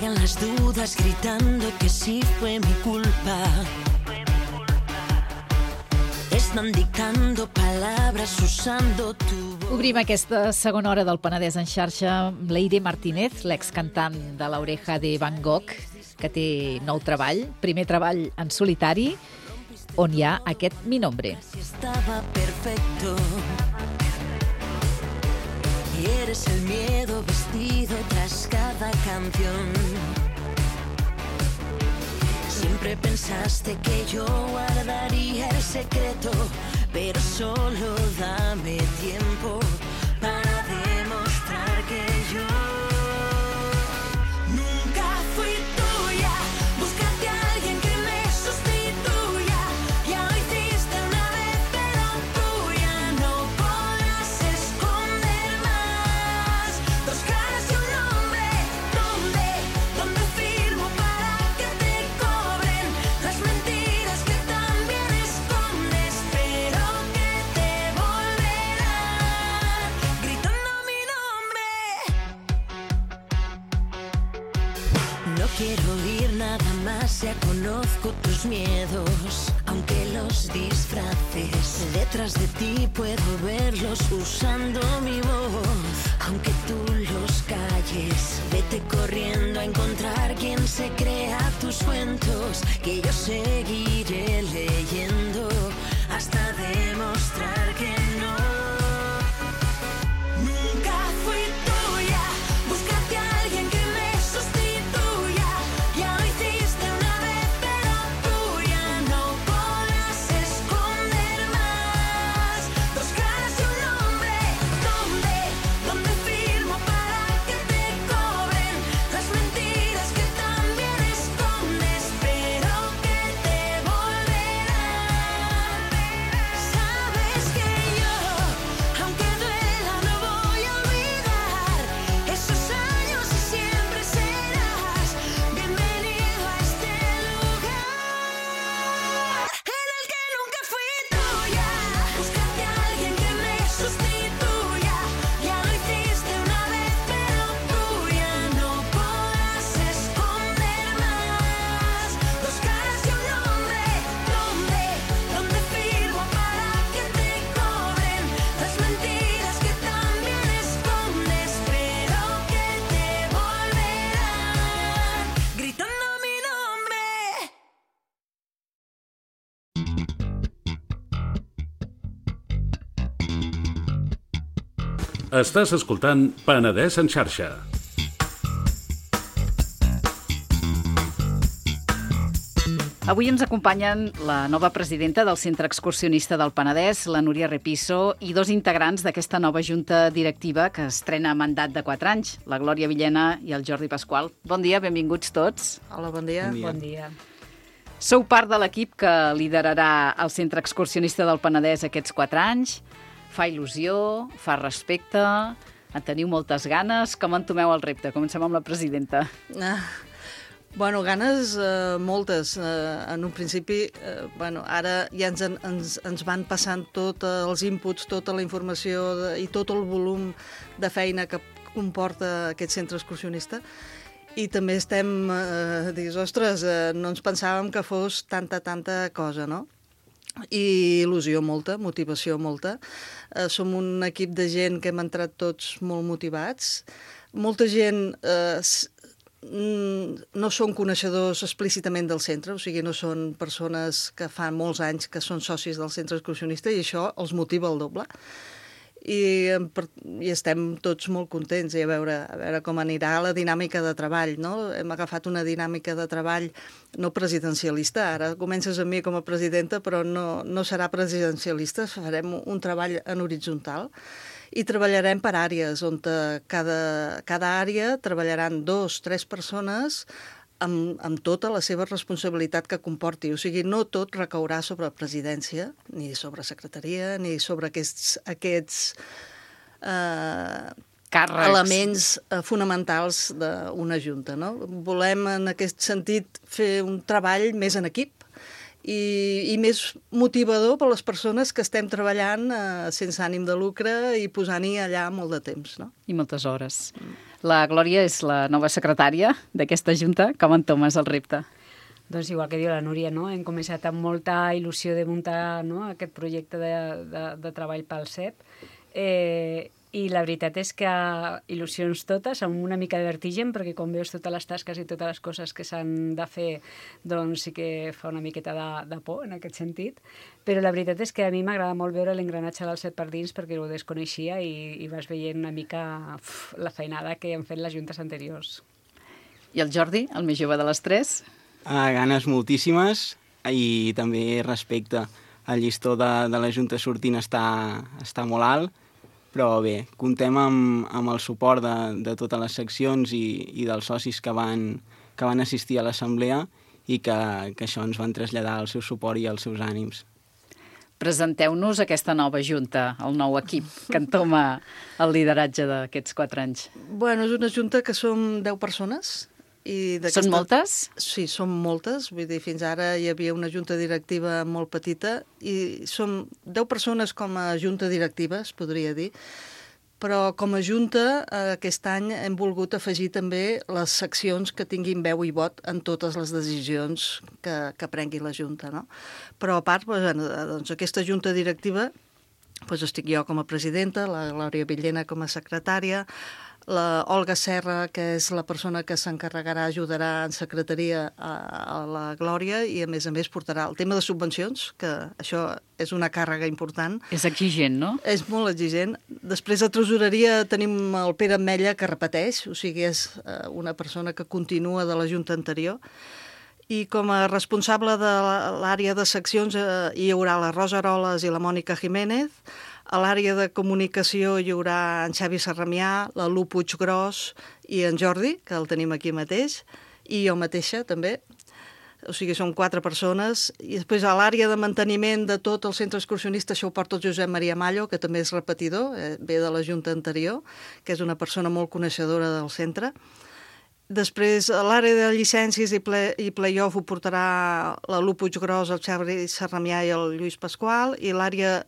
llegan las dudas gritando que sí fue mi culpa. Están dictando palabras usando tu voz. Obrim aquesta segona hora del Penedès en xarxa amb l'Eire Martínez, l'excantant de l'Oreja de Van Gogh, que té nou treball, primer treball en solitari, on hi ha aquest Mi Nombre. Estaba perfecto. Y eres el miedo vestido tras cada canción. Siempre pensaste que yo guardaría el secreto, pero solo dame tiempo para demostrar que yo nunca fui tuya. Búscate a alguien que me sustituya. Ya lo hiciste una vez, pero tuya no podrás esconder más. Dos caras y un nombre, ¿dónde firmo para que te cobren las mentiras que también escondes, pero que te volverán gritando mi nombre? No quiero oír nada más, ya conozco tus miedos, aunque los disfraces. Detrás de ti puedo verlos usando mi voz, aunque tú los calles. Vete corriendo a encontrar quien se crea tus cuentos, que yo seguiré leyendo hasta demostrar que no. Nunca fui tuya. Búscate a alguien que me sustituya. Ya lo hiciste una vez, pero tuya no podrás esconder más. Dos caras y un nombre, ¿dónde firmo para que te cobren las mentiras que también escondes, pero que te volverán? Sabes que yo, aunque duela, no voy a olvidar esos años y siempre serás bienvenido a este lugar en el que nunca fui tuya. Búscate a alguien que me sustituya. Ya lo hiciste una vez, pero tuya no podrás esconder más. Dos caras y un nombre, ¿dónde firmo para que te cobren las mentiras que también escondes, pero que te volverán gritando mi nombre? Estàs escoltant Penedès en xarxa. Avui ens acompanyen la nova presidenta del Centre Excursionista del Penedès, la Núria Repiso, i dos integrants d'aquesta nova junta directiva que estrena mandat de 4 anys, la Glòria Villena i el Jordi Pasqual. Bon dia, benvinguts tots. Hola, bon dia. Bon dia. Sou part de l'equip que liderarà el Centre Excursionista del Penedès aquests 4 anys. Fa il·lusió, fa respecte, en teniu moltes ganes. Com entomeu el repte? Comencem amb la presidenta. Bueno, ganes moltes. En un principi, ara ja ens van passant tots els inputs, tota la informació i tot el volum de feina que comporta aquest centre excursionista. I també estem, ostres, no ens pensàvem que fos tanta cosa, no? I il·lusió molta, motivació molta. Som un equip de gent que hem entrat tots molt motivats. Molta gent no són coneixedors explícitament del centre, o sigui, no són persones que fa molts anys que són socis del centre excursionista i això els motiva el doble. I estem tots molt contents i a veure com anirà la dinàmica de treball, no? Hem agafat una dinàmica de treball no presidencialista, ara comences amb mi com a presidenta, però no serà presidencialista, farem un treball en horitzontal i treballarem per àrees, on cada àrea treballaran 2 o 3 persones amb tota la seva responsabilitat que comporti. O sigui, no tot recaurà sobre presidència, ni sobre secretaria, ni sobre aquests càrrecs, elements fonamentals d'una junta, no? Volem, en aquest sentit, fer un treball més en equip i més motivador per a les persones que estem treballant sense ànim de lucre i posant-hi allà molt de temps, no? I moltes hores. La Glòria és la nova secretària d'aquesta Junta. Com entomes el repte? Doncs igual que diu la Núria, no? Hem començat amb molta il·lusió de muntar, no?, aquest projecte de treball pel CEP, i la veritat és que il·lusions totes, amb una mica de vertigen, perquè quan veus totes les tasques i totes les coses que s'han de fer, doncs sí que fa una miqueta de por en aquest sentit, però la veritat és que a mi m'agrada molt veure l'engranatge del CEP per dins, perquè ho desconeixia i vas veient una mica la feinada que han fet les juntes anteriors. I el Jordi, el més jove de les tres? Ganes moltíssimes i també respecte. El llistó de la Junta sortint està molt alt, però bé, comptem amb el suport de totes les seccions i dels socis que van assistir a l'assemblea i que això ens van traslladar el seu suport i els seus ànims. Presenteu-nos aquesta nova Junta, el nou equip que entoma el lideratge d'aquests 4 anys. Bueno, és una junta que som 10 persones. Són moltes? Sí, són moltes. Vull dir, fins ara hi havia una junta directiva molt petita i som 10 persones com a junta directiva, es podria dir. Però com a junta, aquest any hem volgut afegir també les seccions que tinguin veu i vot en totes les decisions que prengui la junta, no? Però a part, doncs, aquesta junta directiva, doncs estic jo com a presidenta, la Glòria Villena com a secretària, la Olga Serra, que és la persona que s'encarregarà, ajudarà en secretaria a la Glòria i, a més, portarà el tema de subvencions, que això és una càrrega important. És exigent, no? És molt exigent. Després, a tresoreria tenim el Pere Ametlla, que repeteix, o sigui, és una persona que continua de la junta anterior. I com a responsable de l'àrea de seccions hi haurà la Rosa Aroles i la Mònica Jiménez. A l'àrea de comunicació hi haurà en Xavi Sarramià, la Lu Puiggròs i en Jordi, que el tenim aquí mateix, i jo mateixa també. O sigui, són 4 persones. I després a l'àrea de manteniment de tot el centre excursionista això ho porta el Josep Maria Mallo, que també és repetidor, ve de la junta anterior, que és una persona molt coneixedora del centre. Després, a l'àrea de llicències i play-off ho portarà la Lu Puiggròs, el Xavi Sarramià i el Lluís Pasqual, i l'àrea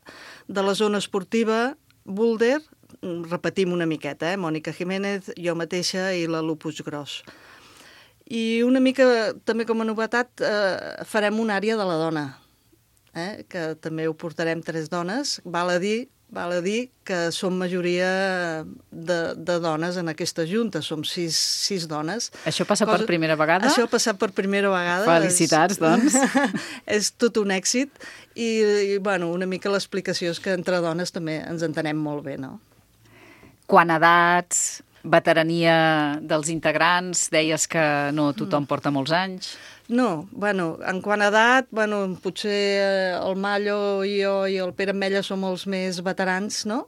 de la zona esportiva, Boulder, repetim una miqueta, Mònica Jiménez, jo mateixa i la Lu Puiggròs. I una mica, també com a novetat, farem una àrea de la dona, que també ho portarem 3 dones, val a dir que som majoria de dones en aquesta junta, som 6 dones. Això passa per primera vegada? Això ha passat per primera vegada. Felicitats, doncs. És tot un èxit i bueno, una mica l'explicació és que entre dones també ens entenem molt bé, no? Quant a edats, veterania dels integrants, deies que no tothom porta molts anys. No, bueno, en quant a edat, potser el Mallo i jo i el Pere Ametlla som els més veterans, no?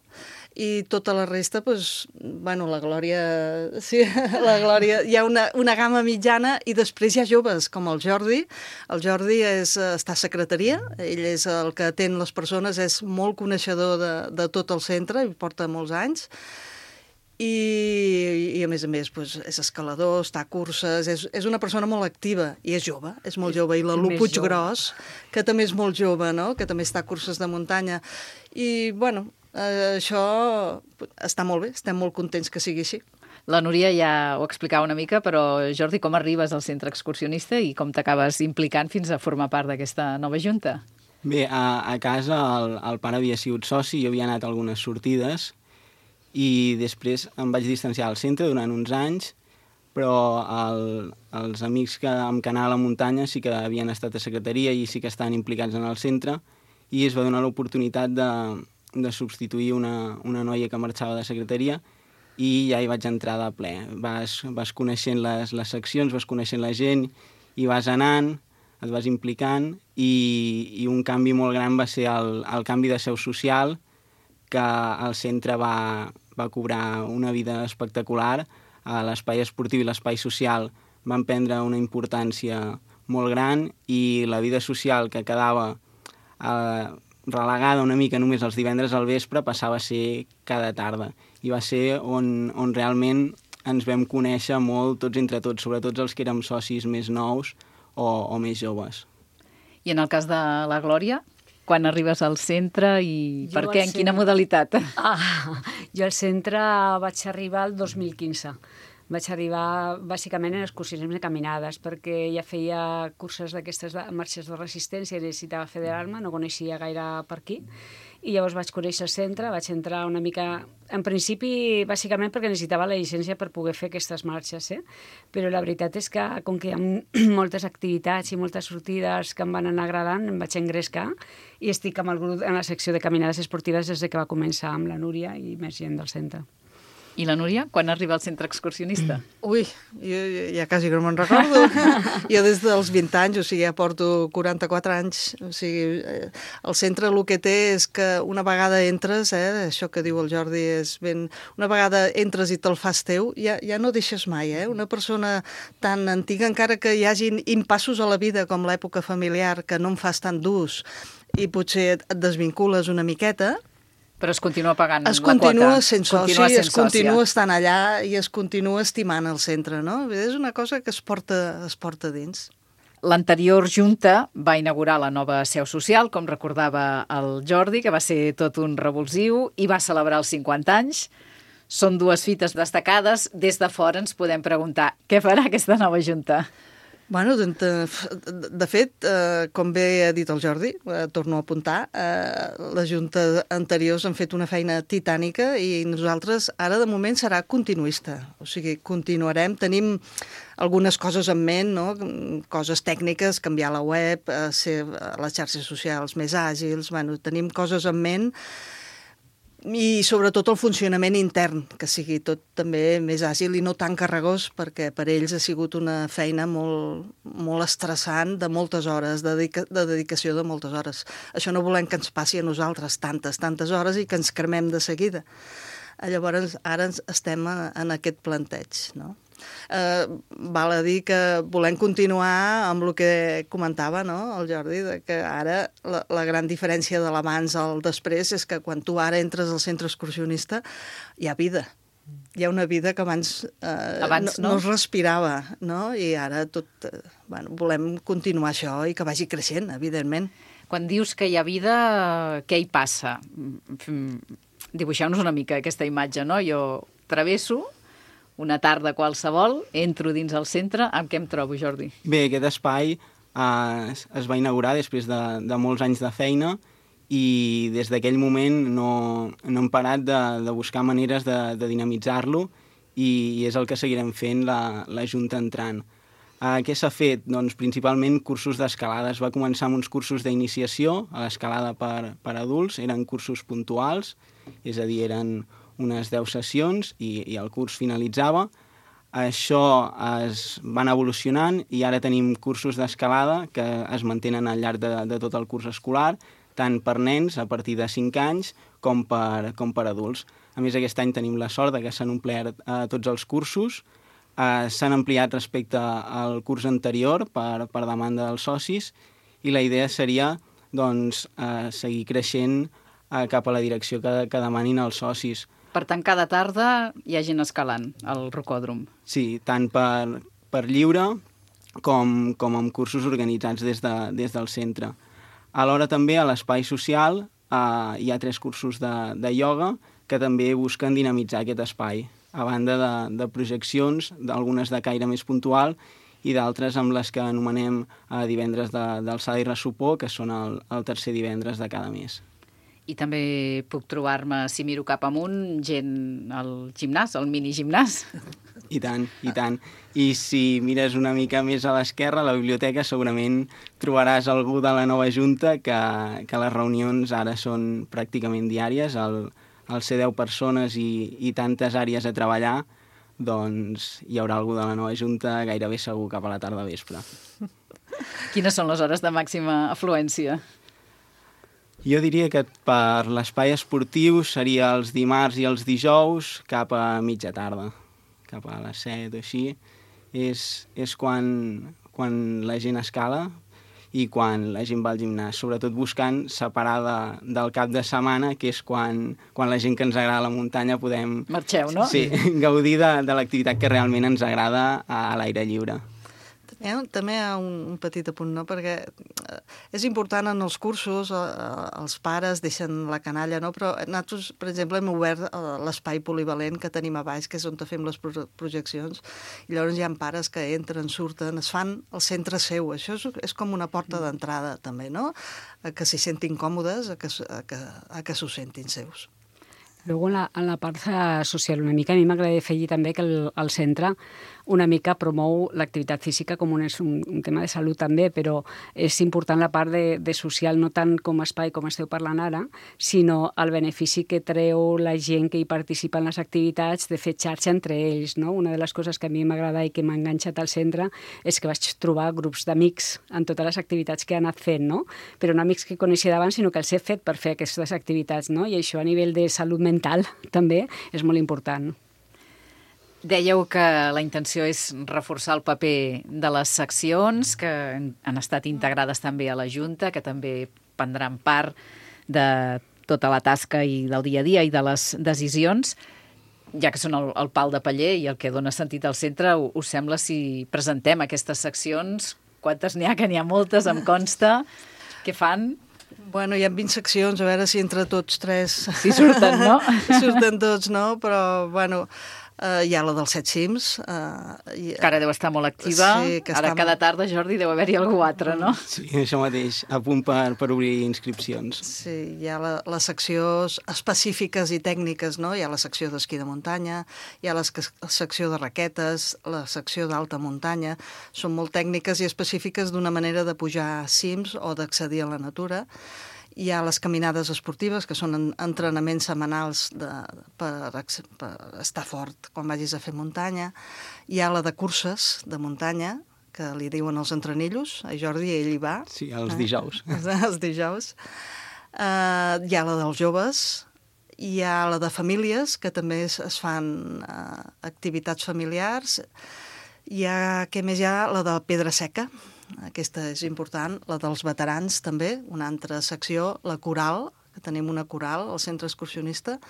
I tota la resta, la Glòria... Sí, la Glòria... Hi ha una gamma mitjana i després hi ha joves, com el Jordi. El Jordi està a secretaria, ell és el que atén les persones, és molt coneixedor de tot el centre, i porta molts anys. I a més, és escalador, està a curses, és una persona molt activa i és jove, és molt jove. I la Lu Puiggròs, que també és molt jove, no? Que també està a curses de muntanya. I, això està molt bé, estem molt contents que sigui així. La Núria ja ho explicava una mica, però Jordi, com arribes al centre excursionista i com t'acabes implicant fins a formar part d'aquesta nova junta? Bé, a casa el pare havia sigut soci, jo havia anat a algunes sortides, i després em vaig distanciar al centre durant uns anys, però els amics que amb anar a la muntanya sí que havien estat a secretaria i sí que estaven implicats en el centre, i es va donar l'oportunitat de substituir una noia que marxava de secretaria i ja hi vaig entrar de ple. Vas coneixent les seccions, vas coneixent la gent i vas anant, et vas implicant, i un canvi molt gran va ser el canvi de seu social, que el centre va cobrar una vida espectacular. L'espai esportiu i l'espai social van prendre una importància molt gran i la vida social que quedava relegada una mica només els divendres al vespre passava a ser cada tarda. I va ser on realment ens vam conèixer molt tots entre tots, sobretot els que érem socis més nous o més joves. I en el cas de la Glòria, quan arribes al centre i per què, en quina centre- modalitat? Jo al centre vaig arribar el 2015. Vaig arribar bàsicament en excursionisme de caminades, perquè ja feia curses d'aquestes marxes de resistència i necessitava federar-me, no coneixia gaire per aquí. I llavors vaig conèixer el centre, vaig entrar una mica... En principi, bàsicament perquè necessitava la llicència per poder fer aquestes marxes, però la veritat és que, com que hi ha moltes activitats i moltes sortides que em van anar agradant, em vaig engrescar i estic amb el grup en la secció de caminades esportives des que va començar amb la Núria i més gent del centre. I la Núria, quan arriba al centre excursionista? Ui, jo ja quasi que no me'n recordo. Jo des dels 20 anys, o sigui, ja porto 44 anys. O sigui, el centre el que té és que una vegada entres, això que diu el Jordi és ben... Una vegada entres i te'l fas teu, ja no deixes mai, Una persona tan antiga, encara que hi hagin impassos a la vida, com l'època familiar, que no en fas tan durs, i potser et desvincules una miqueta, Però es continua pagant es la quota. continua sent soci, es continua sòcia. estant allà i es continua estimant el centre, no? És una cosa que es porta dins. L'anterior Junta va inaugurar la nova seu social, com recordava el Jordi, que va ser tot un revulsiu, i va celebrar els 50 anys. Són dues fites destacades. Des de fora ens podem preguntar què farà aquesta nova Junta. Bueno, de fet, com bé ha dit el Jordi, torno a apuntar, les juntes anteriors han fet una feina titànica i nosaltres ara de moment serà continuista. O sigui, continuarem, tenim algunes coses en ment, no? Coses tècniques, canviar la web, ser les xarxes socials més àgils, bueno, tenim coses en ment i sobretot el funcionament intern, que sigui tot també més àgil i no tan carregós, perquè per ells ha sigut una feina molt estressant de moltes hores, de dedicació de moltes hores. Això no volem que ens passi a nosaltres tantes hores i que ens cremem de seguida. Llavors, ara estem en aquest planteig, no? Val a dir que volem continuar amb el que comentava, no, el Jordi, que ara la gran diferència de l'abans al després és que quan tu ara entres al centre excursionista hi ha vida. Hi ha una vida que abans no es respirava, no? I ara volem continuar això i que vagi creixent, evidentment. Quan dius que hi ha vida, què hi passa? Dibuixeu-nos una mica aquesta imatge, no? Jo travesso una tarda qualsevol, entro dins el centre, amb què em trobo, Jordi? Bé, aquest espai es va inaugurar després de molts anys de feina i des d'aquell moment no hem parat de buscar maneres de dinamitzar-lo i és el que seguirem fent la Junta entrant. Què s'ha fet? Doncs principalment cursos d'escalada. Es va començar amb uns cursos d'iniciació a l'escalada per adults, eren cursos puntuals, és a dir, eren unes 10 sessions i el curs finalitzava. Això es van evolucionant i ara tenim cursos d'escalada que es mantenen al llarg de tot el curs escolar, tant per nens a partir de 5 anys com per adults. A més, aquest any tenim la sort que s'han omplert tots els cursos, s'han ampliat respecte al curs anterior per demanda dels socis i la idea seria doncs, seguir creixent cap a la direcció que demanin els socis. Per tant, cada tarda hi ha gent escalant al rocòdrom. Sí, tant per lliure com amb cursos organitzats des del centre. Alhora també a l'espai social hi ha 3 cursos de ioga que també busquen dinamitzar aquest espai, a banda de projeccions, d'algunes de caire més puntual i d'altres amb les que anomenem divendres d'alçada i ressopó, que són el tercer divendres de cada mes. I també puc trobar-me, si miro cap amunt, gent al gimnàs, al minigimnàs. I tant, i tant. I si mires una mica més a l'esquerra, a la biblioteca, segurament trobaràs algú de la nova Junta que les reunions ara són pràcticament diàries. Al ser 10 persones i tantes àrees a treballar, doncs hi haurà algú de la nova Junta gairebé segur cap a la tarda vespre. Quines són les hores de màxima afluència? Jo diria que per l'espai esportiu seria els dimarts i els dijous cap a mitja tarda, cap a les 7 o així. És quan la gent escala i quan la gent va al gimnàs, sobretot buscant separar del cap de setmana, que és quan la gent que ens agrada la muntanya podem... Marxeu, no? Sí, gaudir de l'activitat que realment ens agrada a l'aire lliure. també hi ha un petit apunt, no? Perquè és important en els cursos, els pares deixen la canalla, no? Però nosaltres, per exemple, hem obert l'espai polivalent que tenim a baix, que és on fem les projeccions, i llavors hi ha pares que entren, surten, es fan el centre seu. Això és com una porta d'entrada, també, no? A que s'hi sentin còmodes, a que s'ho sentin seus. Luego, en la part social, una mica, a mi m'agradaria afegir també que el centre una mica promou l'activitat física com un tema de salut també, però és important la part de social, no tant com a espai com esteu parlant ara, sinó el benefici que treu la gent que hi participa en les activitats de fer xarxa entre ells, no? Una de les coses que a mi m'agrada i que m'ha enganxat al centre és que vaig trobar grups d'amics en totes les activitats que he anat fent, no? Però no amics que coneixia d'abans, sinó que els he fet per fer aquestes activitats, no? I això a nivell de salut mental també és molt important. Dèieu que la intenció és reforçar el paper de les seccions, que han estat integrades també a la Junta, que també prendran part de tota la tasca i del dia a dia i de les decisions, ja que són el pal de paller i el que dona sentit al centre. Us sembla si presentem aquestes seccions? Quantes n'hi ha? Que n'hi ha moltes, em consta. Què fan? Bueno, hi ha 20 seccions, a veure si entre tots tres... Si surten, no? Surten tots, no? Però, bueno... hi ha la dels 7 cims. Que ara deu estar molt activa. Sí, ara cada tarda, Jordi, deu haver-hi algú altre, no? Sí, això mateix, a punt per obrir inscripcions. Sí, hi ha les seccions específiques i tècniques, no? Hi ha la secció d'esquí de muntanya, hi ha la secció de raquetes, la secció d'alta muntanya. Són molt tècniques i específiques d'una manera de pujar cims o d'accedir a la natura. Hi ha les caminades esportives, que són entrenaments setmanals per estar fort quan vagis a fer muntanya. Hi ha la de curses de muntanya, que li diuen els entrenillos. A Jordi, ell hi va. Sí, els dijous. Els dijous. Hi ha la dels joves. Hi ha la de famílies, que també es fan activitats familiars. Hi ha, què més hi ha? La de pedra seca. Aquesta és important, la dels veterans també, una altra secció, la coral, que tenim una coral al centre excursionista.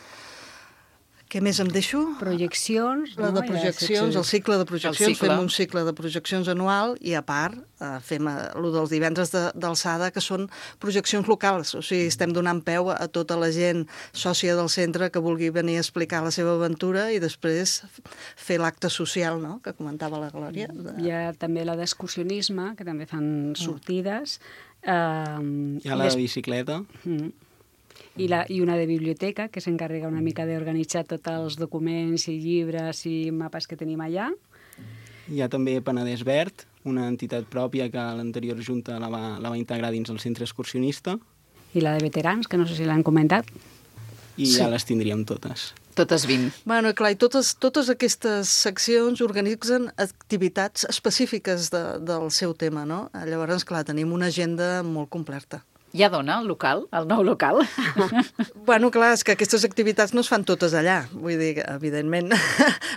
Què més em deixo? Projeccions. La de projeccions, el cicle de projeccions, fem un cicle de projeccions anual i a part fem el dels divendres d'alçada, que són projeccions locals, o sigui, estem donant peu a tota la gent sòcia del centre que vulgui venir a explicar la seva aventura i després fer l'acte social, no?, que comentava la Glòria. Hi ha també la d'excursionisme, que també fan sortides. Hi ha la de bicicleta. I una de biblioteca, que s'encarrega una mica d'organitzar tots els documents i llibres i mapes que tenim allà. Hi ha també Penedès Verd, una entitat pròpia que l'anterior Junta la va integrar dins el centre excursionista. I la de veterans, que no sé si l'han comentat. I ja les tindríem totes. Totes 20. Bueno, clar, i totes aquestes seccions organitzen activitats específiques del seu tema, no? Llavors, clar, tenim una agenda molt completa. Ja dona el local, el nou local? Bueno, clar, és que aquestes activitats no es fan totes allà. Vull dir, evidentment,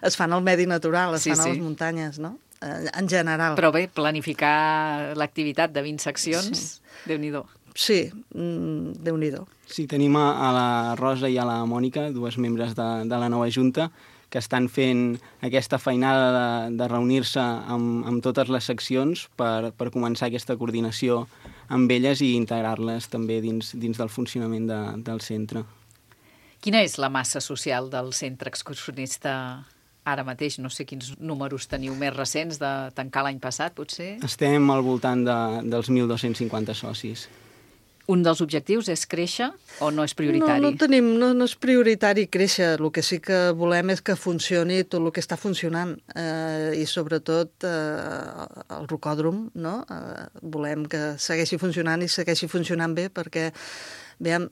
es fan al medi natural, es fan a les muntanyes, no? En general. Però bé, planificar l'activitat de 20 seccions, Déu-n'hi-do. Sí, Déu-n'hi-do. Sí, tenim a la Rosa i a la Mònica, dues membres de la nova Junta, que estan fent aquesta feinada de reunir-se amb totes les seccions per començar aquesta coordinació amb elles i integrar-les també dins del funcionament del centre. Quina és la massa social del centre excursionista ara mateix? No sé quins números teniu més recents de tancar l'any passat, potser? Estem al voltant dels 1.250 socis. Un dels objectius és créixer o no és prioritari? No és prioritari créixer. El que sí que volem és que funcioni tot el que està funcionant i sobretot el rocòdrom, no? Volem que segueixi funcionant i segueixi funcionant bé perquè vam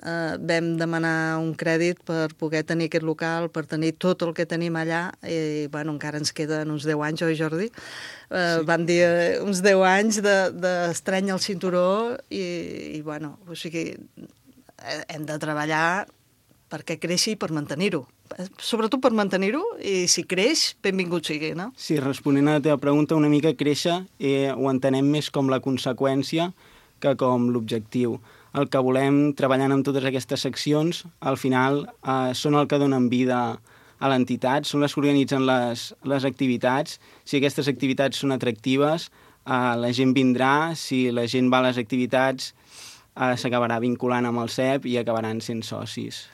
demanar un crèdit per poder tenir aquest local, per tenir tot el que tenim allà i bueno, encara ens queden uns 10 anys, oi Jordi? Vam dir uns 10 anys d'estreny al cinturó i bueno, o sigui, hem de treballar perquè creixi i per mantenir-ho. Sobretot per mantenir-ho i si creix, benvingut sigui, no? Sí, responent a la teva pregunta, una mica créixer ho entenem més com la conseqüència que com l'objectiu. El que volem, treballant amb totes aquestes seccions, al final són el que donen vida a l'entitat, són les que organitzen les activitats. Si aquestes activitats són atractives, la gent vindrà, si la gent va a les activitats s'acabarà vinculant amb el CEP i acabaran sent socis.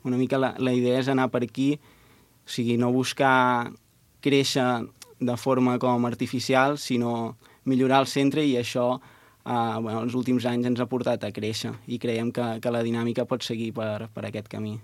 Una mica la idea és anar per aquí, o sigui, no buscar créixer de forma com artificial, sinó millorar el centre, i això els últims anys ens ha portat a créixer i creiem que la dinàmica pot seguir per aquest camí.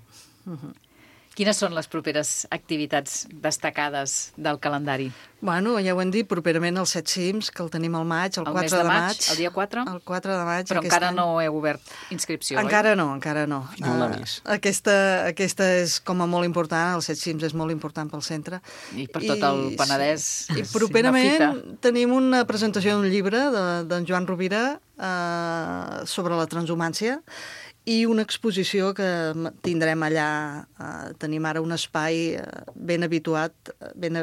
Quines són les properes activitats destacades del calendari? Bueno, ja ho hem dit, properament el Set Cims, que el tenim al maig, el 4 de maig. El dia 4? El 4 de maig. Però encara no heu obert inscripció, encara no, encara no. Final de mes. Aquesta és com a molt important, el Set Cims és molt important pel centre. I per tot el Penedès. I properament tenim una presentació d'un llibre d'en Joan Rovira sobre la transhumància, i una exposició que tindrem allà. Tenim ara un espai ben habituat. Ben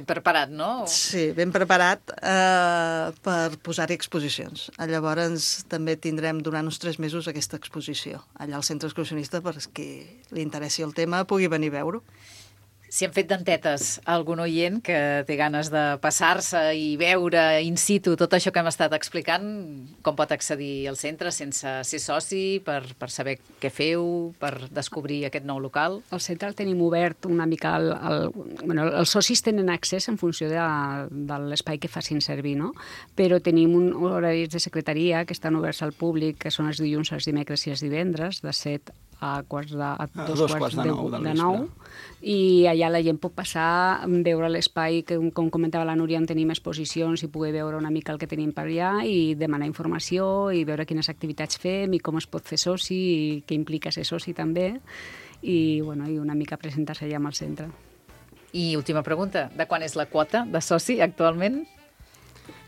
preparat, no? Sí, ben preparat per posar-hi exposicions. Llavors també tindrem durant uns 3 mesos aquesta exposició allà al Centre Excursionista, perquè li interessi el tema pugui venir a veure-ho. Si han fet dentetes a algun oient que té ganes de passar-se i veure in situ tot això que hem estat explicant, com pot accedir al centre sense ser soci, per saber què feu, per descobrir aquest nou local? El centre el tenim obert una mica... Els socis tenen accés en funció de l'espai que facin servir, no? Però tenim horaris de secretaria que estan oberts al públic, que són els dilluns, els dimecres i els divendres, de 7 a dos quarts de 9, i allà la gent pot passar, veure l'espai, que com comentava la Núria, on tenim exposicions, i poder veure una mica el que tenim per allà i demanar informació i veure quines activitats fem i com es pot fer soci i què implica ser soci també, i una mica presentar-se allà amb el centre. I última pregunta, de quan és la quota de soci actualment?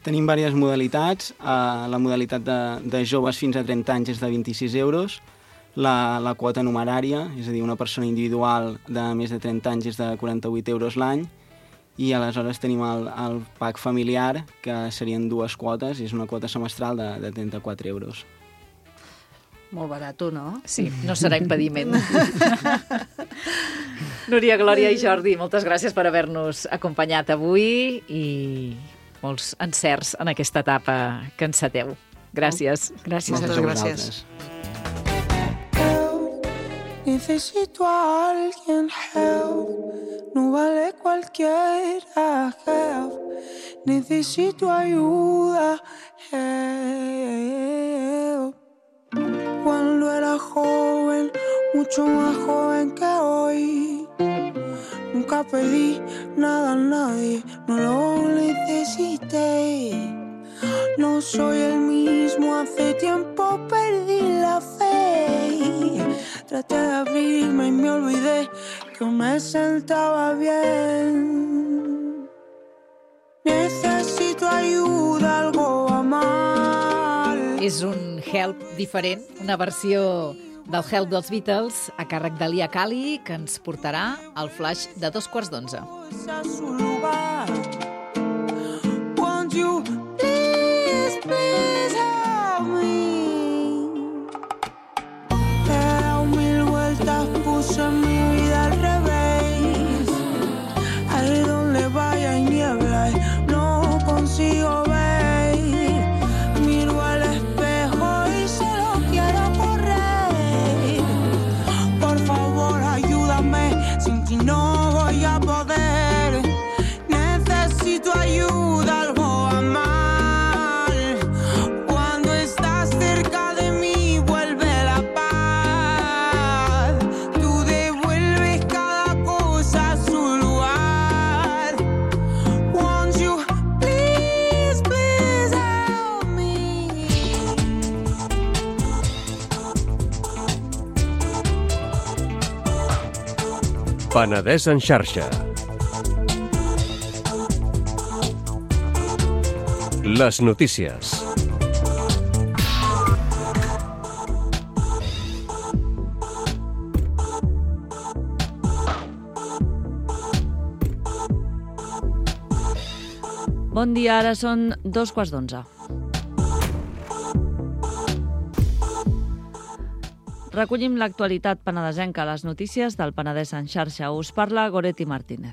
Tenim diverses modalitats. La modalitat de joves fins a 30 anys és de 26 euros, la quota numerària, és a dir, una persona individual de més de 30 anys és de 48 euros l'any, i aleshores tenim el pack familiar, que serien 2 quotes, i és una quota semestral de 34 euros. Molt barat, no? Sí, no serà impediment. Núria, Glòria i Jordi, moltes gràcies per haver-nos acompanyat avui i molts encerts en aquesta etapa que enceteu. Gràcies. Gràcies. Moltes gràcies. Necesito a alguien, help. No vale cualquiera, help. Necesito ayuda, help. Cuando era joven, mucho más joven que hoy, nunca pedí nada a nadie, no lo necesité. No soy el mismo, hace tiempo perdí la fe. Traté de abrirme y me olvidé que me sentaba bien. Necesito ayuda, algo va mal. És un Help diferent, una versió del Help dels Beatles a càrrec de Lia Kali, que ens portarà al flash de 11:45. Won't you please, please help me? He dado 1000 vueltas, puse mi vida al revés. Ahí donde vaya hay niebla y no consigo ver. Miro al espejo y solo quiero correr. Por favor, ayúdame, sin ti no voy a poder. Necesito ayuda, algo va mal. Cuando estás cerca de mí vuelve la paz. Tú devuelves cada cosa a su lugar. Won't you please, please help me? Penedès en xarxa. Les notícies. Bon dia, ara són 11:15. Recollim l'actualitat penedesenca a les notícies del Penedès en xarxa. Us parla Goretti Martínez.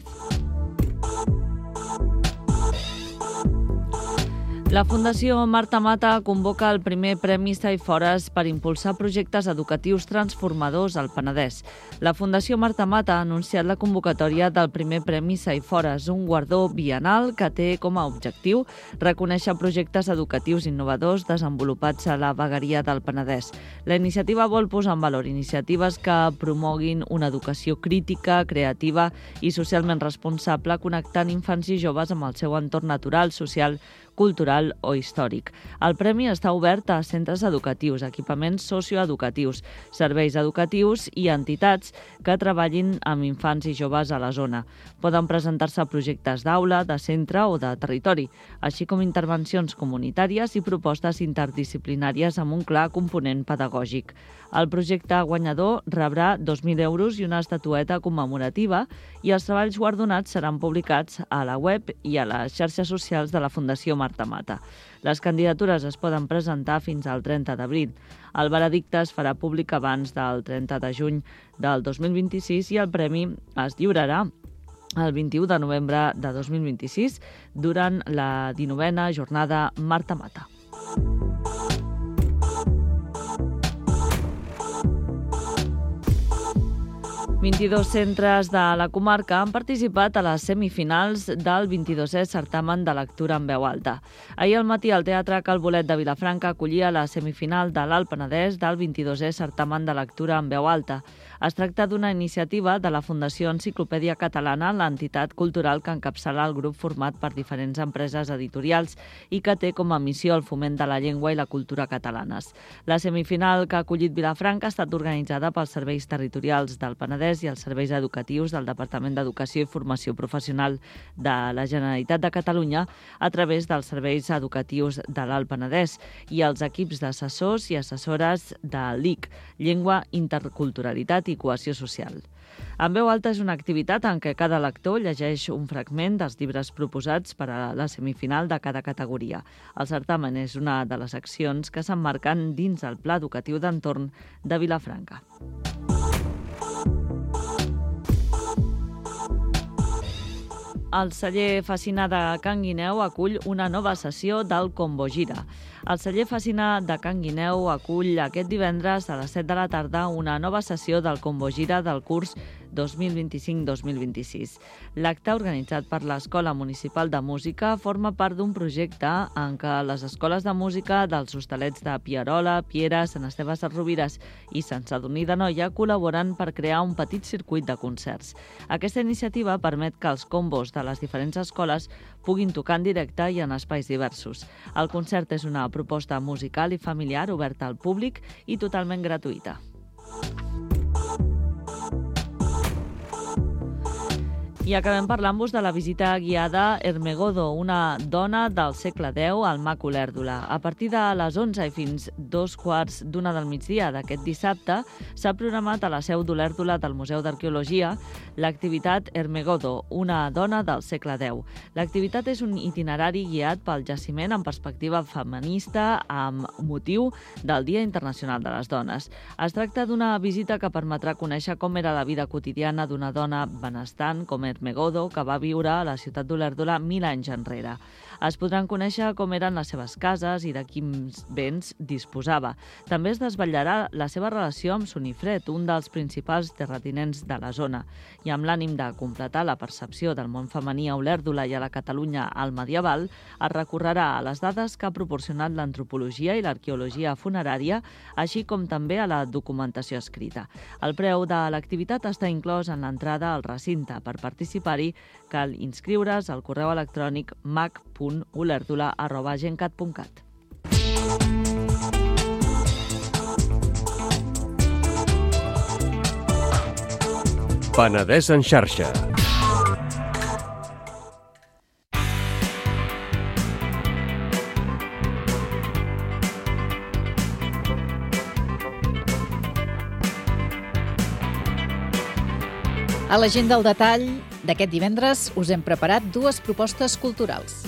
La Fundació Marta Mata convoca el primer Premi Saifores per impulsar projectes educatius transformadors al Penedès. La Fundació Marta Mata ha anunciat la convocatòria del primer Premi Saifores, un guardó biennal que té com a objectiu reconèixer projectes educatius innovadors desenvolupats a la vegueria del Penedès. La iniciativa vol posar en valor iniciatives que promoguin una educació crítica, creativa i socialment responsable, connectant infants i joves amb el seu entorn natural, social, cultural o històric. El premi està obert a centres educatius, equipaments socioeducatius, serveis educatius i entitats que treballin amb infants i joves a la zona. Poden presentar-se projectes d'aula, de centre o de territori, així com intervencions comunitàries i propostes interdisciplinàries amb un clar component pedagògic. El projecte guanyador rebrà 2.000 euros i una estatueta commemorativa i els treballs guardonats seran publicats a la web i a les xarxes socials de la Fundació Marta Mata. Les candidatures es poden presentar fins al 30 d'abril. El veredicte es farà públic abans del 30 de juny del 2026 i el premi es lliurarà el 21 de novembre de 2026 durant la 19a jornada Marta Mata. ...22 centres de la comarca han participat a les semifinals del 22è certamen de lectura en veu alta. Ahir al matí el Teatre Cal Bolet de Vilafranca acollia la semifinal de l'Alt Penedès del 22è certamen de lectura en veu alta. Es tracta d'una iniciativa de la Fundació Enciclopèdia Catalana, l'entitat cultural que encapçala el grup format per diferents empreses editorials i que té com a missió el foment de la llengua i la cultura catalanes. La semifinal que ha acollit Vilafranca ha estat organitzada pels serveis territorials del Penedès i els serveis educatius del Departament d'Educació i Formació Professional de la Generalitat de Catalunya a través dels serveis educatius de l'Alt Penedès i els equips d'assessors i assessores de l'IC, Llengua, Interculturalitat i Cohesió Social. En veu alta és una activitat en què cada lector llegeix un fragment dels llibres proposats per a la semifinal de cada categoria. El certamen és una de les accions que s'emmarquen dins el Pla Educatiu d'Entorn de Vilafranca. El celler Fascina de Can Guineu acull una nova sessió del Combo Gira. El celler Fascina de Can Guineu acull aquest divendres a les 7 de la tarda una nova sessió del Combo Gira del curs 2025-2026. L'acte, organitzat per l'Escola Municipal de Música, forma part d'un projecte en què les escoles de música dels Hostalets de Pierola, Piera, Sant Esteve Sesrovires i Sant Sadurní d'Anoia col·laboren per crear un petit circuit de concerts. Aquesta iniciativa permet que els combos de les diferents escoles puguin tocar en directe i en espais diversos. El concert és una proposta musical i familiar oberta al públic i totalment gratuïta. I acabem parlant-vos de la visita guiada Hermegodo, una dona del segle X al Mac Olèrdola. A partir de les 11 i fins 2:15 del migdia d'aquest dissabte s'ha programat a la seu d'Olèrdola del Museu d'Arqueologia l'activitat Hermegodo, una dona del segle X. L'activitat és un itinerari guiat pel jaciment en perspectiva feminista amb motiu del Dia Internacional de les Dones. Es tracta d'una visita que permetrà conèixer com era la vida quotidiana d'una dona benestant com Hermegodo, que va viure a la ciutat d'Olèrdola 1.000 anys enrere. Es podran conèixer com eren les seves cases i de quins béns disposava. També es desvetllarà la seva relació amb Sonifred, un dels principals terratinents de la zona. I amb l'ànim de completar la percepció del món femení a Olèrdola i a la Catalunya al medieval, es recorrerà a les dades que ha proporcionat l'antropologia i l'arqueologia funerària, així com també a la documentació escrita. El preu de l'activitat està inclòs en l'entrada al recinte. Per participar-hi cal inscriure's al correu electrònic mac.olèrdola@gencat.cat. Penedès en xarxa. A l'agenda al detall d'aquest divendres us hem preparat dues propostes culturals.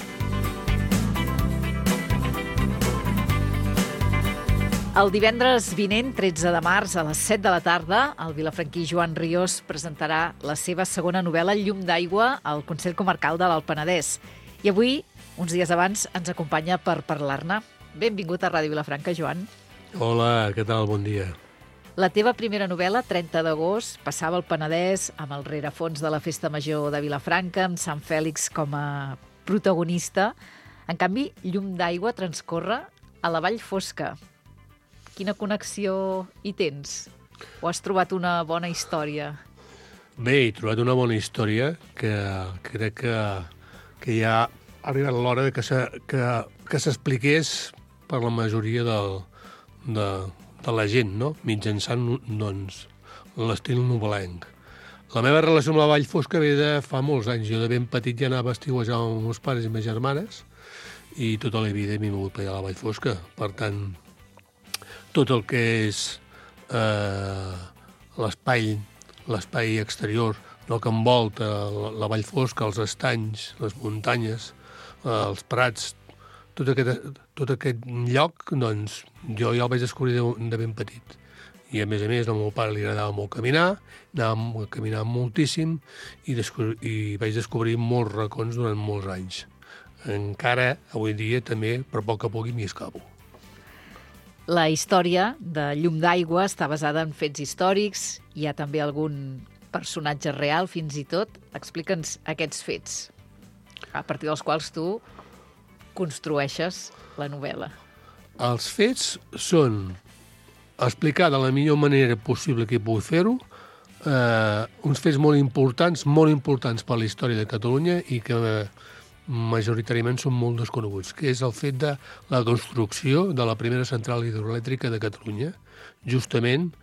El divendres vinent, 13 de març, a les 7 de la tarda, el vilafranquí Joan Riós presentarà la seva segona novel·la Llum d'aigua al Consell Comarcal de l'Alt Penedès. I avui uns dies abans ens acompanya per parlar-ne. Benvingut a Ràdio Vilafranca, Joan. Hola, què tal? Bon dia. La teva primera novel·la, 30 d'agost, passava al Penedès amb el rerefons de la Festa Major de Vilafranca, amb Sant Fèlix com a protagonista. En canvi, Llum d'aigua transcorre a la Vall Fosca. Quina connexió hi tens? O has trobat una bona història? Bé, he trobat una bona història que crec que ja ha arribat l'hora que s'expliqués per la majoria de la gent, no? Mitjançant doncs, l'estil novel·lenc. La meva relació amb la Vall Fosca ve de fa molts anys. Jo de ben petit ja anava a estiuejar amb els meus pares i meves germanes i tota la vida m'he mogut per allà a la Vall Fosca. Per tant, tot el que és l'espai exterior, el que envolta la Vall Fosca, els estanys, les muntanyes, els prats, tot aquest lloc, doncs, jo ja el vaig descobrir de ben petit. I, a més, al meu pare li agradava molt caminar, anàvem a caminar moltíssim i vaig descobrir molts racons durant molts anys. Encara, avui dia, també, per poc a poc, m'hi escapo. La història de Llum d'aigua està basada en fets històrics. Hi ha també algun personatge real, fins i tot. Explica'ns aquests fets, a partir dels quals tu construeixes la novel·la. Els fets són explicar de la millor manera possible que pugui fer-ho, uns fets molt importants per la història de Catalunya i que majoritàriament són molt desconeguts, que és el fet de la construcció de la primera central hidroelèctrica de Catalunya, justament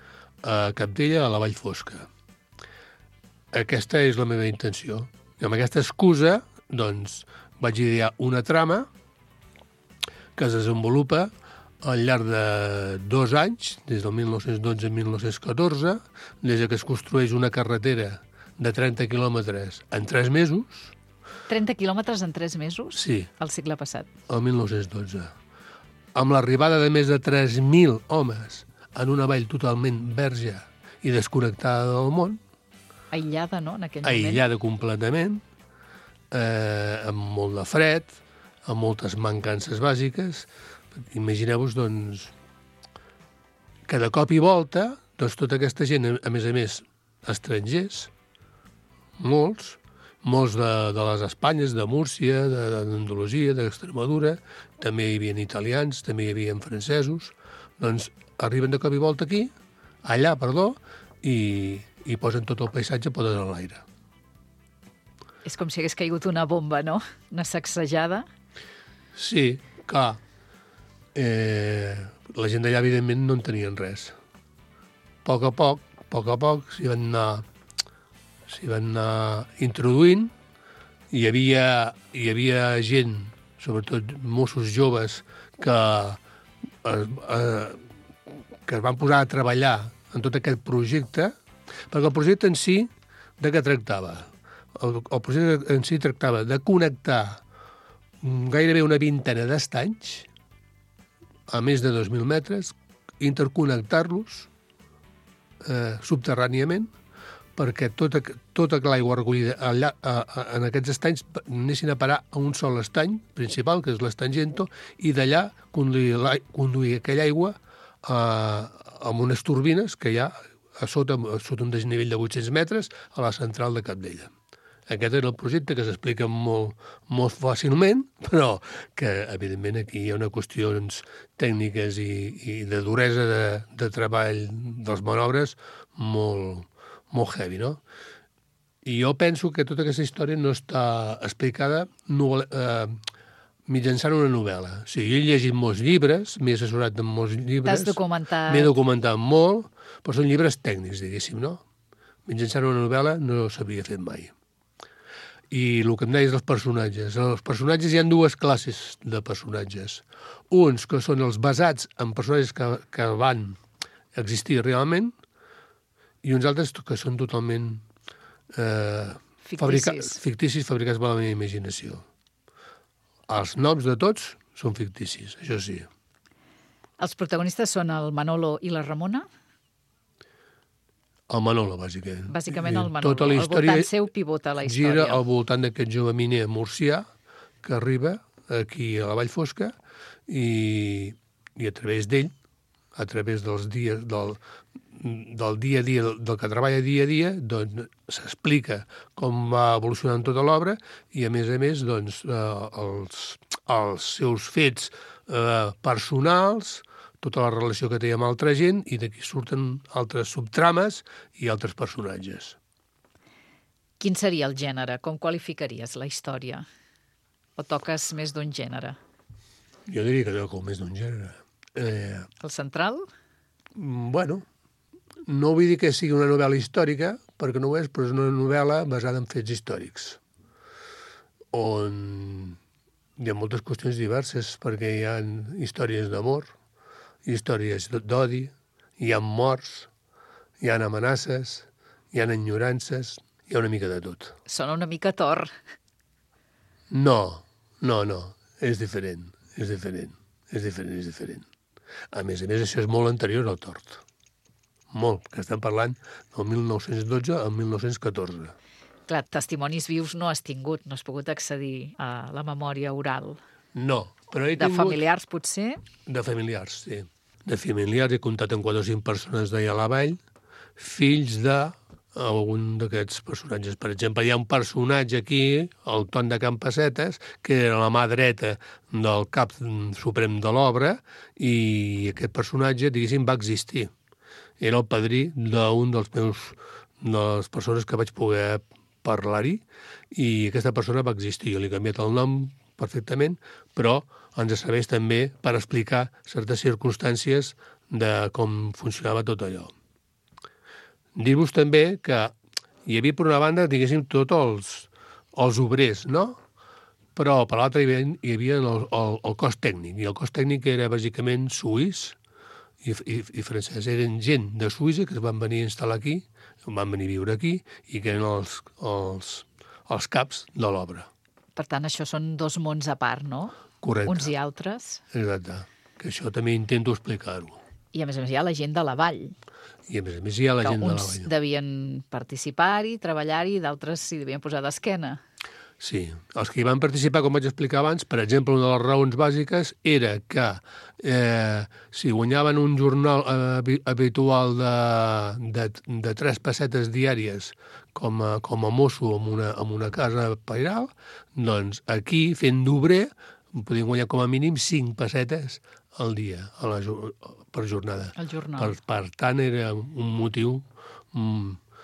a Cabdella, a la Vall Fosca. Aquesta és la meva intenció. I amb aquesta excusa, doncs, vaig idear una trama que es desenvolupa al llarg de 2 anys, des del 1912 a 1914, des que es construeix una carretera de 30 quilòmetres en 3 mesos. 30 quilòmetres en 3 mesos? Sí. Al segle passat. El 1912. Amb l'arribada de més de 3.000 homes en una vall totalment verge i desconnectada del món. Aïllada, no?, en aquell moment. Aïllada completament, amb molt de fred, amb moltes mancances bàsiques. Imagineu-vos, doncs, que de cop i volta, doncs, tota aquesta gent, a més, estrangers, molts de les Espanyes, de Múrcia, d'Andalusia, d'Extremadura, també hi havia italians, també hi havia francesos, doncs arriben de cop i volta allà, i posen tot el paisatge poden a l'aire. És com si hagués caigut una bomba, no? Una sacsejada. Sí, clar. La gent d'allà, evidentment, no en tenien res. A poc a poc, s'hi van anar introduint. Hi havia gent, sobretot mossos joves, que es van posar a treballar en tot aquest projecte, perquè el projecte en si, de què tractava? El projecte en si tractava de connectar gairebé una vintena d'estanys a més de 2.000 metres, interconnectar-los subterràniament perquè tota l'aigua recollida allà, en aquests estanys anessin a parar a un sol estany principal, que és l'estany Gento, i d'allà conduir aquella aigua amb unes turbines que hi ha a sota un desnivell de 800 metres a la central de Cabdella. Aquest era el projecte que s'explica molt fàcilment, però que, evidentment, aquí hi ha unes qüestions tècniques i de duresa de treball dels manobres molt heavy, no? I jo penso que tota aquesta història no està explicada mitjançant una novel·la. O sigui, jo he llegit molts llibres, m'he assessorat en molts llibres. T'has documentat. M'he documentat molt, però són llibres tècnics, diguéssim, no? Mitjançant una novel·la no s'havia fet mai. I el que em deies dels personatges. Els personatges, hi ha 2 classes de personatges. Uns que són els basats en personatges que van existir realment i uns altres que són totalment ficticis, fabricats per la meva imaginació. Els noms de tots són ficticis, això sí. Els protagonistes són el Manolo i la Ramona? El Manolo, bàsicament. Bàsicament el Manolo. Al voltant seu pivota la història. Gira al voltant d'aquest jove miner murcià que arriba aquí a la Vall Fosca i a través d'ell, a través dels dies del dia a dia, del que treballa dia a dia, doncs s'explica com va evolucionant tota l'obra i, a més, doncs, els seus fets personals, tota la relació que té amb altra gent, i d'aquí surten altres subtrames i altres personatges. Quin seria el gènere? Com qualificaries la història? O toques més d'un gènere? Jo diria que toco més d'un gènere. El central? Bueno, no vull dir que sigui una novel·la històrica, perquè no ho és, però és una novel·la basada en fets històrics, on hi ha moltes qüestions diverses, perquè hi ha històries d'amor, històries d'odi, hi ha morts, hi ha amenaces, hi ha enyorances, hi ha una mica de tot. Sona una mica Thor. No, és diferent. A més, això és molt anterior al tort. Molt, que estem parlant del 1912 al 1914. Clar, testimonis vius no has tingut, no has pogut accedir a la memòria oral. No, però he tingut... De familiars, potser? De familiars, sí. De familiars he comptat amb 4 o 5 persones d'allà a la vall, fills d'algun d'aquests personatges. Per exemple, hi ha un personatge aquí, el Ton de Campassetes, que era la mà dreta del cap suprem de l'obra, i aquest personatge, diguéssim, va existir. Era el padrí d'un de les persones que vaig poder parlar-hi, i aquesta persona va existir. Jo li he canviat el nom perfectament, però ens serveix també per explicar certes circumstàncies de com funcionava tot allò. Dir-vos també que hi havia, per una banda, diguéssim, tots els obrers, no? Però, per l'altra, hi havia el cos tècnic, i el cos tècnic era, bàsicament, suís i francès. Eren gent de Suïssa que es van venir a instal·lar aquí, van venir a viure aquí, i que eren els caps de l'obra. Per tant, això són 2 mons a part, no? Correcte. Uns i altres. Exacte. Que això també intento explicar-ho. I, a més, hi ha la gent de la vall. I, a més, hi ha la gent de la vall. Uns devien participar-hi, treballar-hi, i d'altres s'hi devien posar d'esquena. Sí. Els que hi van participar, com vaig explicar abans, per exemple, una de les raons bàsiques era que si guanyaven un jornal habitual de 3 pessetes diàries com a mosso en una casa pairal, doncs aquí, fent d'obrer, podien guanyar com a mínim 5 pessetes al dia, per jornada. El jornal. Per tant, era un motiu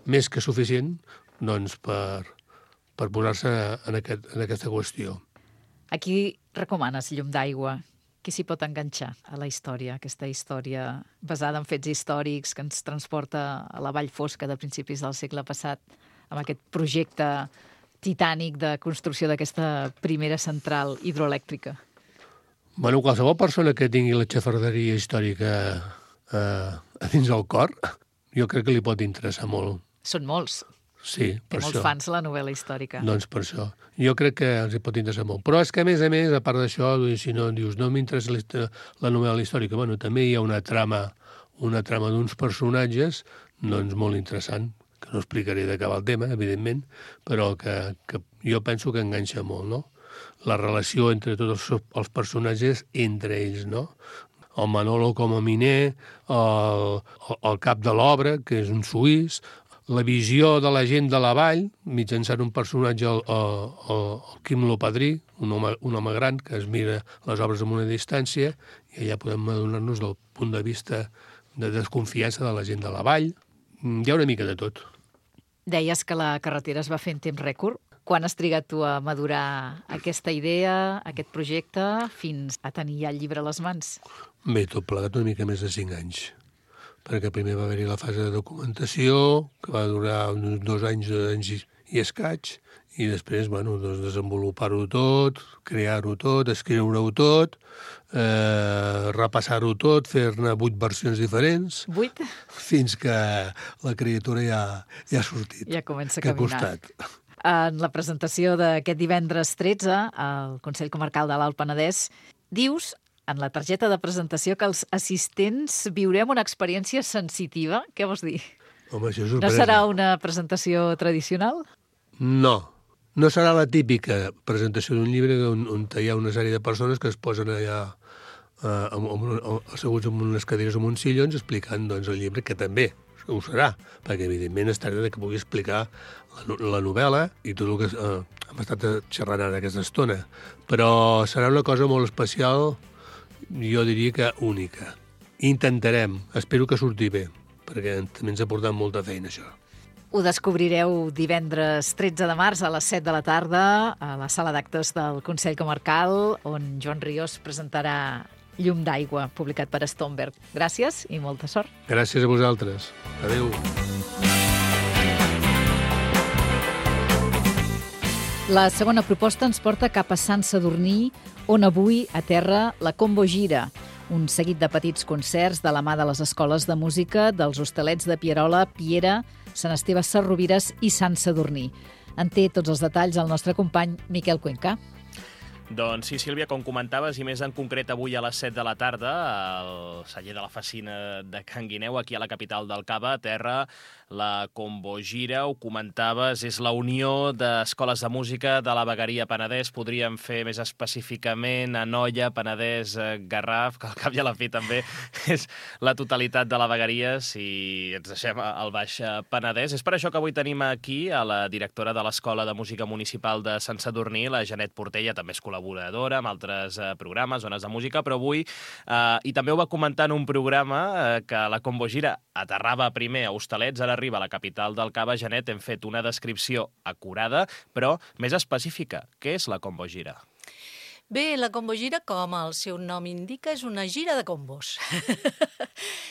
més que suficient doncs, per posar-se en aquesta qüestió. A qui recomanes Llum d'aigua? Qui s'hi pot enganxar a la història, aquesta història basada en fets històrics que ens transporta a la Vall Fosca de principis del segle passat, amb aquest projecte titànic de construcció d'aquesta primera central hidroelèctrica? Bueno, qualsevol persona que tingui la xafarderia històrica a dins del cor, jo crec que li pot interessar molt. Són molts. Sí, Té per molts això. fans la novel·la històrica. Doncs per això. Jo crec que els hi pot interessar molt. Però és que, a més, a part d'això, si no dius, no m'interessa la novel·la històrica, bueno, també hi ha una trama d'uns personatges, doncs molt interessant, que no explicaré de què va el tema, evidentment, però que jo penso que enganxa molt, no? La relació entre tots els personatges entre ells, no? El Manolo com a miner, el cap de l'obra, que és un suís, la visió de la gent de la vall, mitjançant un personatge, el Quim Lopadrí, un home gran que es mira les obres amb una distància, i allà podem adonar-nos del punt de vista de desconfiança de la gent de la vall. Hi ha una mica de tot. Deies que la carretera es va fer en temps rècord. Quan has trigat tu a madurar aquesta idea, aquest projecte, fins a tenir ja el llibre a les mans? Bé, tot plegat una mica més de 5 anys. Perquè primer va haver-hi la fase de documentació, que va durar uns 2 anys i escaig, i després, bueno, doncs desenvolupar-ho tot, crear-ho tot, escriure-ho tot, repassar-ho tot, fer-ne 8 versions diferents. 8? Fins que la criatura ja ha sortit. Ja comença a caminar. Que ha costat. En la presentació d'aquest divendres 13 al Consell Comarcal de l'Alt Penedès, dius en la targeta de presentació que els assistents viurem una experiència sensitiva. Què vols dir? Home, això és sorpresa. No serà una presentació tradicional? No, No serà la típica presentació d'un llibre on hi ha una sèrie de persones que es posen allà asseguts en unes cadires o en uns sillons explicant doncs, el llibre, que també ho serà, perquè evidentment es tracta que pugui explicar la novel·la i tot el que hem estat xerrant ara aquesta estona. Però serà una cosa molt especial, jo diria que única. Intentarem, espero que surti bé, perquè també ens ha portat molta feina això. Ho descobrireu divendres 13 de març a les 7 de la tarda a la sala d'actes del Consell Comarcal, on Joan Ríos presentarà Llum d'aigua, publicat per Stomberg. Gràcies i molta sort. Gràcies a vosaltres. Adéu. La segona proposta ens porta cap a Sant Sadurní, on avui aterra la Combo Gira, un seguit de petits concerts de la mà de les escoles de música dels Hostalets de Pierola, Piera, Sant Esteve Sesrovires i Sant Sadurní. En té tots els detalls el nostre company Miquel Cuenca. Doncs sí, Sílvia, com comentaves, i més en concret avui a les 7 de la tarda, al celler de la Facina de Can Guineu, aquí a la capital del Cava, a terra, la Combo Gira, ho comentaves, és la unió d'escoles de música de la Vegueria Penedès, podríem fer més específicament Anoia, Penedès, Garraf, que al cap i a la fi també és la totalitat de la vegueria, si ens deixem al Baix Penedès. És per això que avui tenim aquí a la directora de l'Escola de Música Municipal de Sant Sadurní, la Janet Portella, també és col·laboradora amb altres programes, zones de música, però avui, i també ho va comentar en un programa, que la Combo Gira aterrava primer a Hostalets, ara arriba a la capital del Cava. Janet, hem fet una descripció acurada, però més específica. Què és la Combo Gira? Bé, la Combo Gira, com el seu nom indica, és una gira de combos.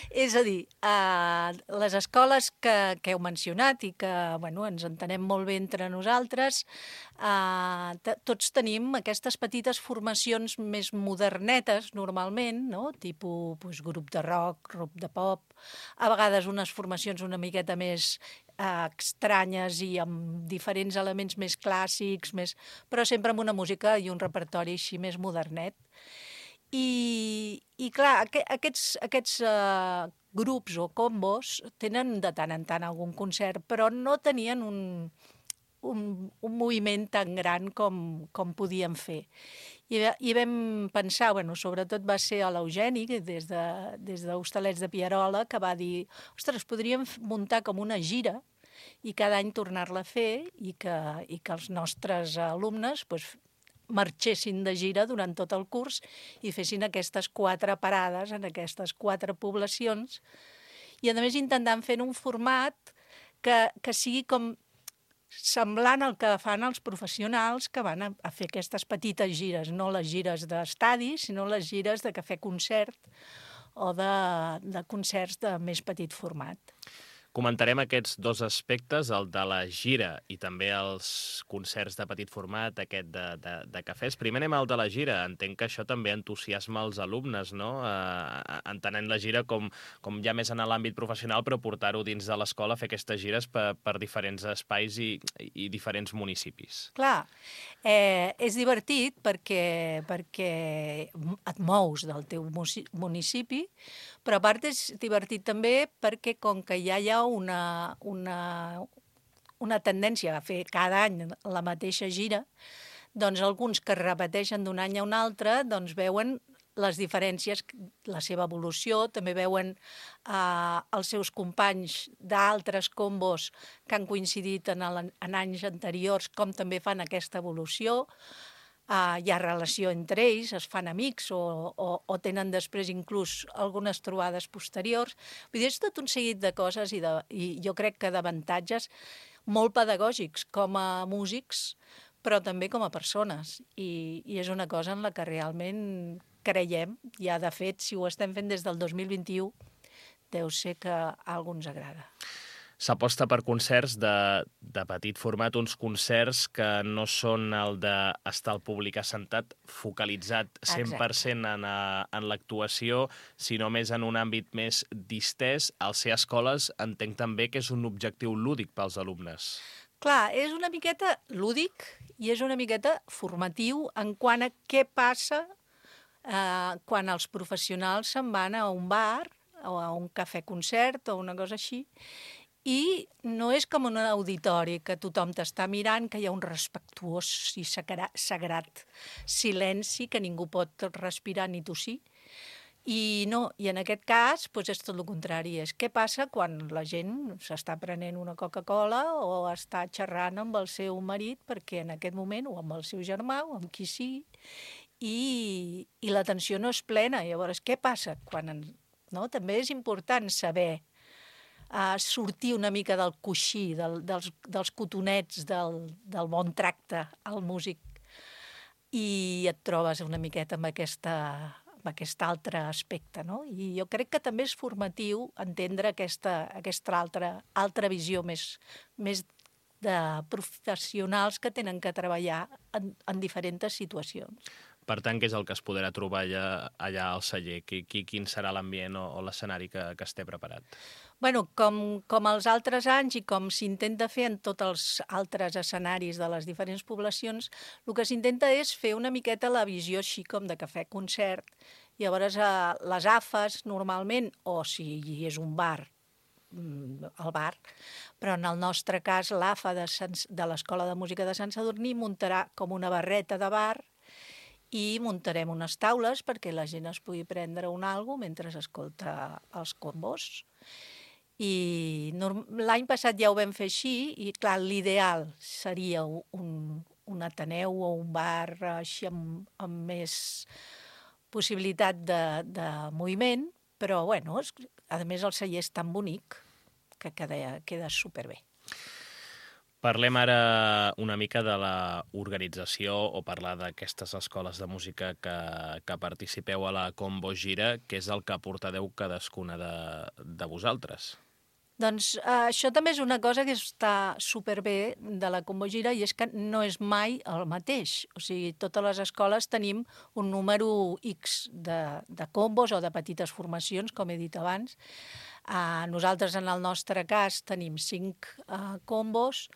És a dir, les escoles que heu mencionat i que ens entenem molt bé entre nosaltres, tots tenim aquestes petites formacions més modernetes, normalment, no? Tipus grup de rock, grup de pop, a vegades unes formacions una miqueta més estranyes i amb diferents elements més clàssics, però sempre amb una música i un repertori així més modernet. I clar, aquests grups o combos tenen de tant en tant algun concert, però no tenien un moviment tan gran com podíem fer. I vam pensar, sobretot va ser a l'Eugeni, des d'Hostalets de Pierola, que va dir, ostres, podríem muntar com una gira i cada any tornar-la a fer i que els nostres alumnes marxessin de gira durant tot el curs i fessin aquestes 4 parades en aquestes 4 poblacions. I a més intentant fer un format que sigui com semblant al que fan els professionals que van a fer aquestes petites gires, no les gires d'estadi, sinó les gires de cafè-concert o de concerts de més petit format. Comentarem aquests dos aspectes, el de la gira i també els concerts de petit format, aquest de cafès. Primer anem al de la gira. Entenc que això també entusiasma els alumnes, no? Entenent la gira com ja més en l'àmbit professional, però portar-ho dins de l'escola, fer aquestes gires per diferents espais i diferents municipis. Clar, és divertit perquè et mous del teu municipi, però a part és divertit també perquè com que ja hi ha una tendència a fer cada any la mateixa gira, doncs alguns que repeteixen d'un any a un altre doncs veuen les diferències, la seva evolució, també veuen els seus companys d'altres combos que han coincidit en anys anteriors, com també fan aquesta evolució. Hi ha relació entre ells, es fan amics o tenen després inclús algunes trobades posteriors. Vull dir, és tot un seguit de coses i jo crec que d'avantatges molt pedagògics com a músics, però també com a persones. I és una cosa en la que realment creiem, ja de fet, si ho estem fent des del 2021, deu ser que a algú ens agrada. S'aposta per concerts de petit format, uns concerts que no són el d'estar el públic assentat, focalitzat 100% en l'actuació, sinó més en un àmbit més distès. Al ser escoles entenc també que és un objectiu lúdic pels alumnes. Clar, és una miqueta lúdic i és una miqueta formatiu en quant a què passa quan els professionals se'n van a un bar o a un cafè-concert o una cosa així, i no és com un auditori que tothom t'està mirant, que hi ha un respectuós i sagrat silenci, que ningú pot respirar ni tossir. I no, i en aquest cas és tot el contrari. És què passa quan la gent s'està prenent una Coca-Cola o està xerrant amb el seu marit, perquè en aquest moment, o amb el seu germà, o amb qui sigui, i l'atenció no és plena. Llavors, què passa? També és important saber sortir una mica del coixí, dels cotonets, del bon tracte al músic, i et trobes una miqueta amb aquest altre aspecte, no? I jo crec que també és formatiu entendre aquesta altra visió més de professionals que tenen que treballar en diferents situacions. Per tant, què és el que es podrà trobar allà al celler? Quin serà l'ambient o l'escenari que es té preparat? Bueno, com els altres anys i com s'intenta fer en tots els altres escenaris de les diferents poblacions, el que s'intenta és fer una miqueta la visió així com de cafè-concert. Llavors, les AFAs, normalment, o si és un bar, el bar, però en el nostre cas l'AFA de l'Escola de Música de Sant Sadurní muntarà com una barreta de bar i muntarem unes taules perquè la gent es pugui prendre un algo mentre escolta els combos. I l'any passat ja ho vam fer així i, clar, l'ideal seria un ateneu o un bar així amb més possibilitat de moviment, però, bueno, a més el celler és tan bonic que queda superbé. Parlem ara una mica de l'organització o parlar d'aquestes escoles de música que participeu a la Combo Gira, que és el que portadeu cadascuna de vosaltres. Doncs això també és una cosa que està superbé de la Combo Gira i és que no és mai el mateix. O sigui, totes les escoles tenim un número X de combos o de petites formacions, com he dit abans. Nosaltres, en el nostre cas, tenim 4 combos,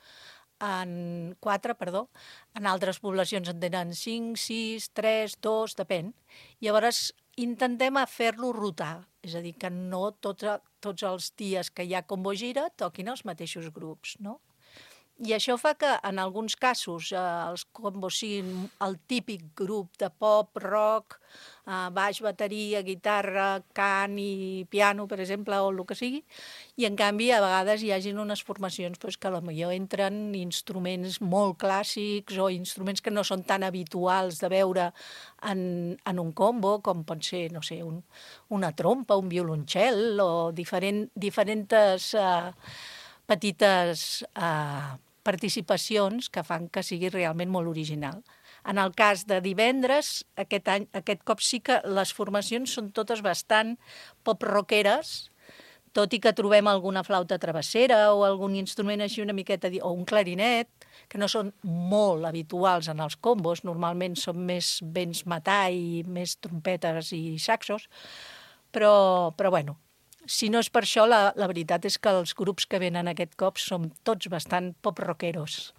en altres poblacions en tenen 5, 6, 3, 2, depèn. Llavors, intentem fer-lo rotar, és a dir, que no tots els dies que hi ha Combo Gira toquin els mateixos grups, no? I això fa que, en alguns casos, els combos siguin el típic grup de pop, rock, baix, bateria, guitarra, cant i piano, per exemple, o el que sigui, i, en canvi, a vegades hi hagin unes formacions que potser entren instruments molt clàssics o instruments que no són tan habituals de veure en un combo, com pot ser, no sé, una trompa, un violoncel o diferents petites participacions que fan que sigui realment molt original. En el cas de divendres, aquest cop sí que les formacions són totes bastant pop-rockeres, tot i que trobem alguna flauta travessera o algun instrument així una miqueta, o un clarinet, que no són molt habituals en els combos, normalment són més vents matà i més trompetes i saxos, però bueno, si no és per això, la veritat és que els grups que venen aquest cop són tots bastant pop-rockeros.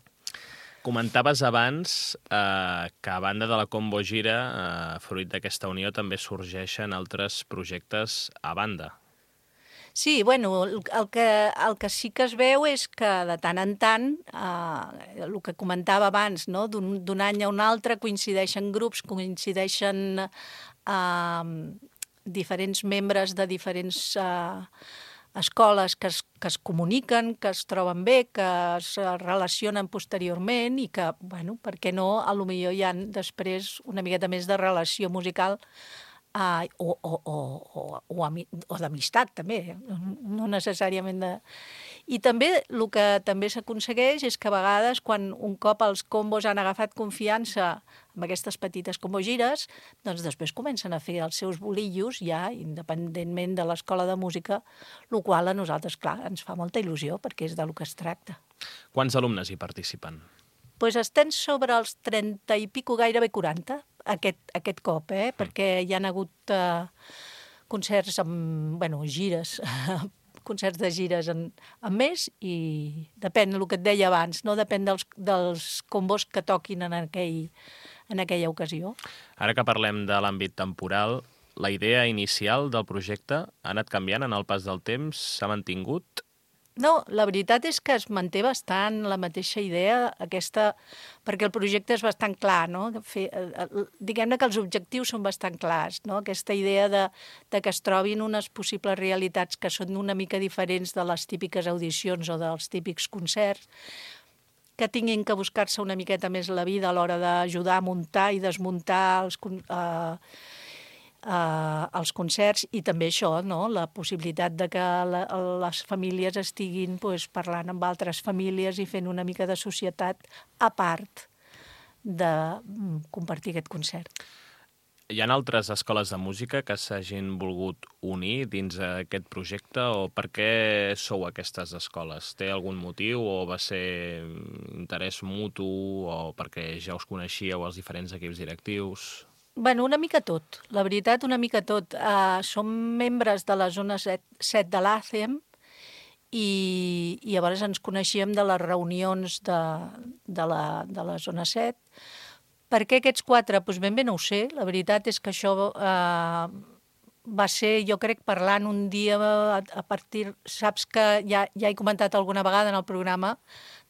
Comentaves abans que a banda de la Combo Gira, fruit d'aquesta unió, també sorgeixen altres projectes a banda. Sí, bueno, el que sí que es veu és que de tant en tant, el que comentava abans, no? D'un any a un altre coincideixen grups, coincideixen diferents membres de diferents escoles que es comuniquen, que es troben bé, que es relacionen posteriorment i que, bueno, per què no, potser hi ha després una miqueta més de relació musical o d'amistat, també, no necessàriament de... I també el que també s'aconsegueix és que a vegades, quan un cop els combos han agafat confiança amb aquestes petites combogires, doncs després comencen a fer els seus bolillos ja, independentment de l'escola de música, el qual a nosaltres, clar, ens fa molta il·lusió, perquè és del que es tracta. Quants alumnes hi participen? Doncs estem sobre els 30 i pico, gairebé 40, aquest cop, perquè hi ha hagut concerts amb, gires, concerts de gires en més i depèn del que et deia abans, no? Depèn dels combos que toquin en aquella ocasió. Ara que parlem de l'àmbit temporal, la idea inicial del projecte ha anat canviant en el pas del temps? S'ha mantingut? No, la veritat és que es manté bastant la mateixa idea, aquesta, perquè el projecte és bastant clar, no? Diguem-ne que els objectius són bastant clars, no? Aquesta idea de que es trobin unes possibles realitats que són una mica diferents de les típiques audicions o dels típics concerts, que tinguin que buscar-se una miqueta més la vida a l'hora d'ajudar a muntar i desmuntar els concerts, i també això, no? La possibilitat de que les famílies estiguin parlant amb altres famílies i fent una mica de societat a part de compartir aquest concert. Hi ha altres escoles de música que s'hagin volgut unir dins aquest projecte, o per què sou aquestes escoles? Té algun motiu o va ser interès mutu o perquè ja us coneixíeu els diferents equips directius? Bueno, una mica tot, la veritat, una mica tot. Som membres de la zona 7 de l'ACEM i llavors ens coneixíem de les reunions de la zona 7. Per què aquests 4? Doncs ben bé no ho sé. La veritat és que això va ser, jo crec, parlant un dia a partir... Saps que ja he comentat alguna vegada en el programa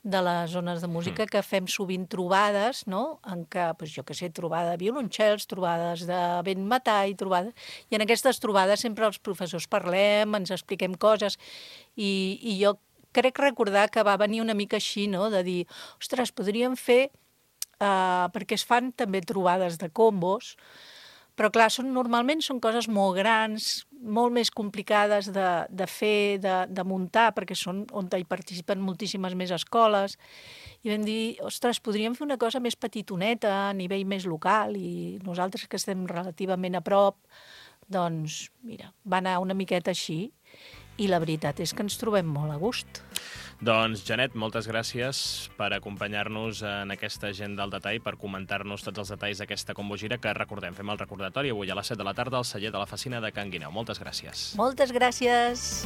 de les zones de música que fem sovint trobades, no? En què, jo què sé, trobada de violoncels, trobades de vent metall, trobades... I en aquestes trobades sempre els professors parlem, ens expliquem coses, i jo crec recordar que va venir una mica així, no? De dir, ostres, podríem fer... perquè es fan també trobades de combos, però clar, normalment són coses molt grans, molt més complicades de fer, de muntar, perquè són on hi participen moltíssimes més escoles, i vam dir, ostres, podríem fer una cosa més petitoneta, a nivell més local, i nosaltres que estem relativament a prop, doncs, mira, va anar una miqueta així, i la veritat és que ens trobem molt a gust. Doncs, Janet, moltes gràcies per acompanyar-nos en aquesta agenda al detall, per comentar-nos tots els detalls d'aquesta combogira que, recordem, fem el recordatori avui a les 7 de la tarda al celler de la Fecina de Can Guineu. Moltes gràcies. Moltes gràcies.